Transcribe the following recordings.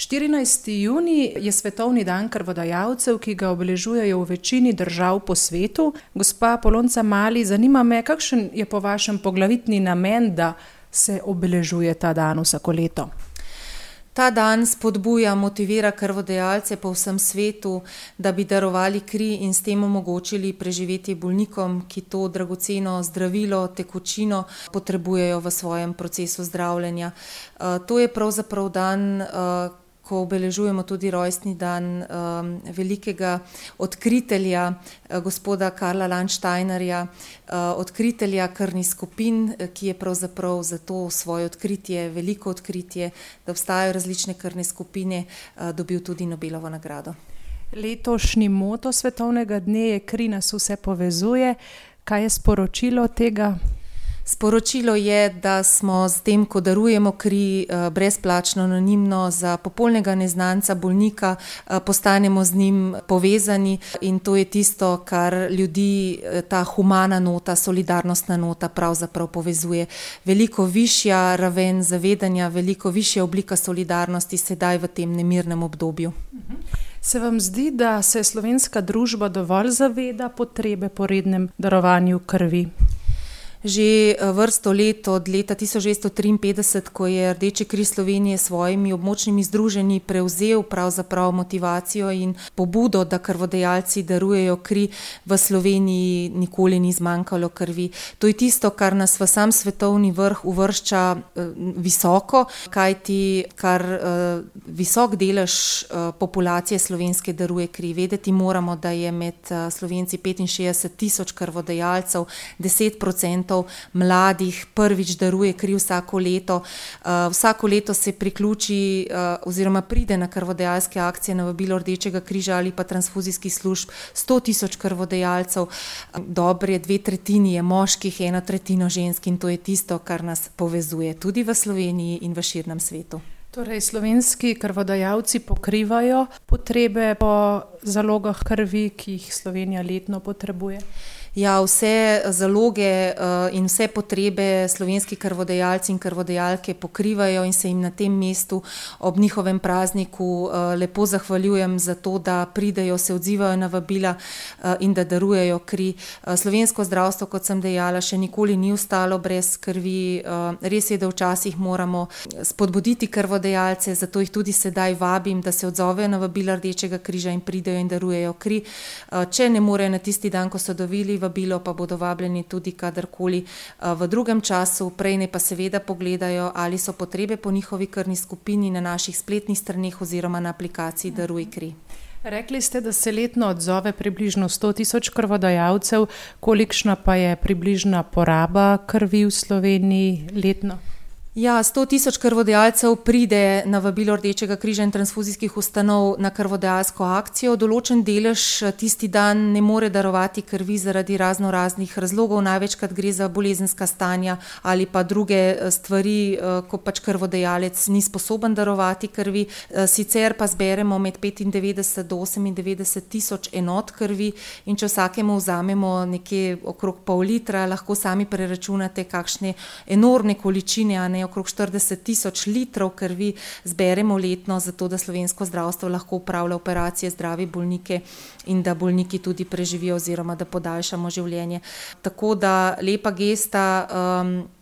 14. junij je svetovni dan krvodajalcev, ki ga obeležujejo v večini držav po svetu. Gospa Polonca Mali, zanima me, kakšen je po vašem poglavitni namen, da se obeležuje ta dan vsako leto? Ta dan spodbuja, motivira krvodajalce po vsem svetu, da bi darovali kri in s tem omogočili preživetje bolnikom, ki to dragoceno zdravilo, tekočino potrebujejo v svojem procesu zdravljenja. To je pravzaprav dan, ko obeležujemo tudi rojstni dan velikega odkritelja, gospoda Karla Landsteinerja, odkritelja krvnih skupin, ki je pravzaprav za to svoje odkritje, veliko odkritje, da obstajajo različne krvne skupine, dobil tudi Nobelovo nagrado. Letošnji moto svetovnega dne je Kri nas vse povezuje. Kaj je sporočilo tega? Sporočilo je, da smo s tem, ko darujemo kri brezplačno, anonimno za popolnega neznanca bolnika, postanemo z njim povezani in to je tisto, kar ljudi, ta humana nota, solidarnostna nota pravzaprav povezuje. Veliko višja raven zavedanja, veliko višja oblika solidarnosti sedaj v tem nemirnem obdobju. Se vam zdi, da se slovenska družba dovolj zaveda potrebe po rednem darovanju krvi? Že vrsto let, od leta 1953, ko je Rdeči križ Slovenije s svojimi območnimi združenji prevzel pravzaprav motivacijo in pobudo, da krvodajalci darujejo kri, v Sloveniji nikoli ni zmanjkalo krvi. To je tisto, kar nas v sam svetovni vrh uvršča visoko, kajti kar visok delež populacije slovenske daruje kri. Vedeti moramo, da je med Slovenci 65.000 krvodajalcev, 10% mladih prvič daruje kri vsako leto. Vsako leto se priključi oziroma pride na krvodajalske akcije na vabilo Rdečega križa ali pa transfuzijskih služb 100.000 krvodajalcev. Dobre 2/3 je moških, 1/3 žensk in to je tisto, kar nas povezuje tudi v Sloveniji in v širnem svetu. Torej, slovenski krvodajalci pokrivajo potrebe po zalogah krvi, ki jih Slovenija letno potrebuje? Ja, vse zaloge in vse potrebe slovenski krvodajalci in krvodajalke pokrivajo in se jim na tem mestu ob njihovem prazniku lepo zahvaljujem za to, da pridejo, se odzivajo na vabila in da darujejo kri. Slovensko zdravstvo, kot sem dejala, še nikoli ni ostalo brez krvi. Res je, da včasih moramo spodbuditi krvodajalce, zato jih tudi sedaj vabim, da se odzovejo na vabila Rdečega križa in pridejo in darujejo kri. Če ne morejo na tisti dan, ko so dobili vabilo, pa bodo vabljeni tudi kadarkoli v drugem času. Prej ne pa seveda pogledajo, ali so potrebe po njihovi krvni skupini na naših spletnih straneh oziroma na aplikaciji Daruj kri. Rekli ste, da se letno odzove približno 100.000 krvodajalcev. Kolikšna pa je približna poraba krvi v Sloveniji letno? Ja, 100.000 krvodajalcev pride na vabilo Rdečega križa in transfuzijskih ustanov na krvodajalsko akcijo. Določen delež tisti dan ne more darovati krvi zaradi raznih razlogov. Največkrat gre za bolezenska stanja ali pa druge stvari, ko pač krvodajalec ni sposoben darovati krvi. Sicer pa zberemo med 95 do 98.000 enot krvi in če vsakemu vzamemo nekje okrog pol litra, lahko sami preračunate, kakšne enormne količine, a ne, okrog 40.000 litrov krvi zberemo letno, zato da slovensko zdravstvo lahko upravlja operacije, zdravi bolnike in da bolniki tudi preživijo oziroma da podaljšamo življenje. Tako da lepa gesta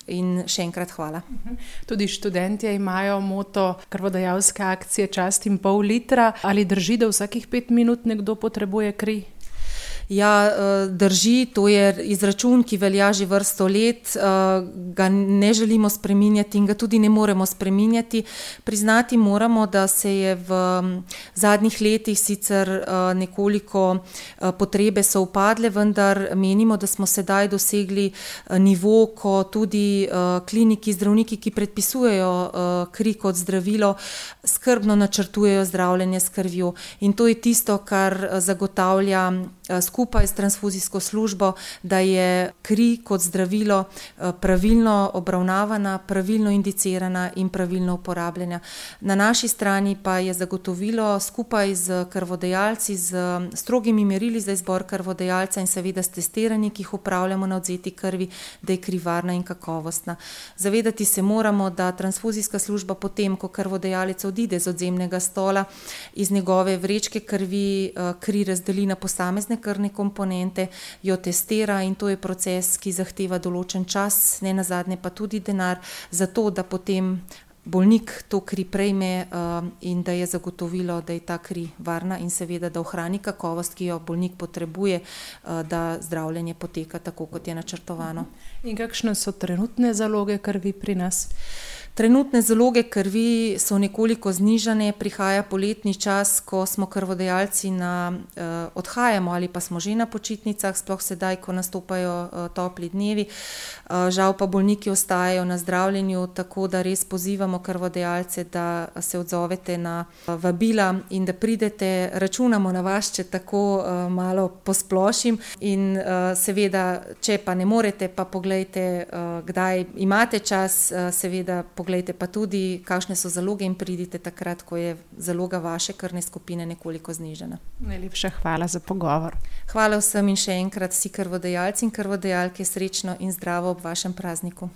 in še enkrat hvala. Tudi študentje imajo moto krvodajalske akcije Čast in pol litra. Ali drži, da vsakih 5 minut nekdo potrebuje kri? Ja, drži, to je izračun, ki velja že vrsto let, ga ne želimo spreminjati in ga tudi ne moremo spreminjati. Priznati moramo, da se je v zadnjih letih sicer nekoliko potrebe so upadle, vendar menimo, da smo sedaj dosegli nivo, ko tudi kliniki, zdravniki, ki predpisujejo kri kot zdravilo, skrbno načrtujejo zdravljenje s krvjo. In to je tisto, kar zagotavlja skupaj skupaj s transfuzijsko službo, da je kri kot zdravilo pravilno obravnavana, pravilno indicirana in pravilno uporabljena. Na naši strani pa je zagotovilo skupaj z krvodajalci, z strogimi merili za izbor krvodajalca in seveda s testiranji, ki jih upravljamo na odvzeti krvi, da je kri varna in kakovostna. Zavedati se moramo, da transfuzijska služba potem, ko krvodajalec odide z odzemnega stola, iz njegove vrečke krvi kri razdeli na posamezne krvne komponente, jo testira in to je proces, ki zahteva določen čas, ne nazadnje pa tudi denar, zato da potem bolnik to kri prejme in da je zagotovilo, da je ta kri varna in seveda, da ohrani kakovost, ki jo bolnik potrebuje, da zdravljenje poteka tako, kot je načrtovano. In kakšne so trenutne zaloge krvi pri nas? Trenutne zaloge krvi so nekoliko znižane, prihaja poletni čas, ko smo krvodajalci odhajamo ali pa smo že na počitnicah, sploh sedaj, ko nastopajo topli dnevi. Žal pa bolniki ostajajo na zdravljenju, tako da res pozivamo krvodajalce, da se odzovete na vabila in da pridete, računamo na vas, če tako malo posplošim. In seveda, če pa ne morete, pa poglejte, kdaj imate čas, seveda poglejte pa tudi, kakšne so zaloge in pridite takrat, ko je zaloga vaše krvne skupine nekoliko znižana. Najlepša hvala za pogovor. Hvala vsem in še enkrat vsi krvodajalci in krvodajalke, srečno in zdravo ob vašem prazniku.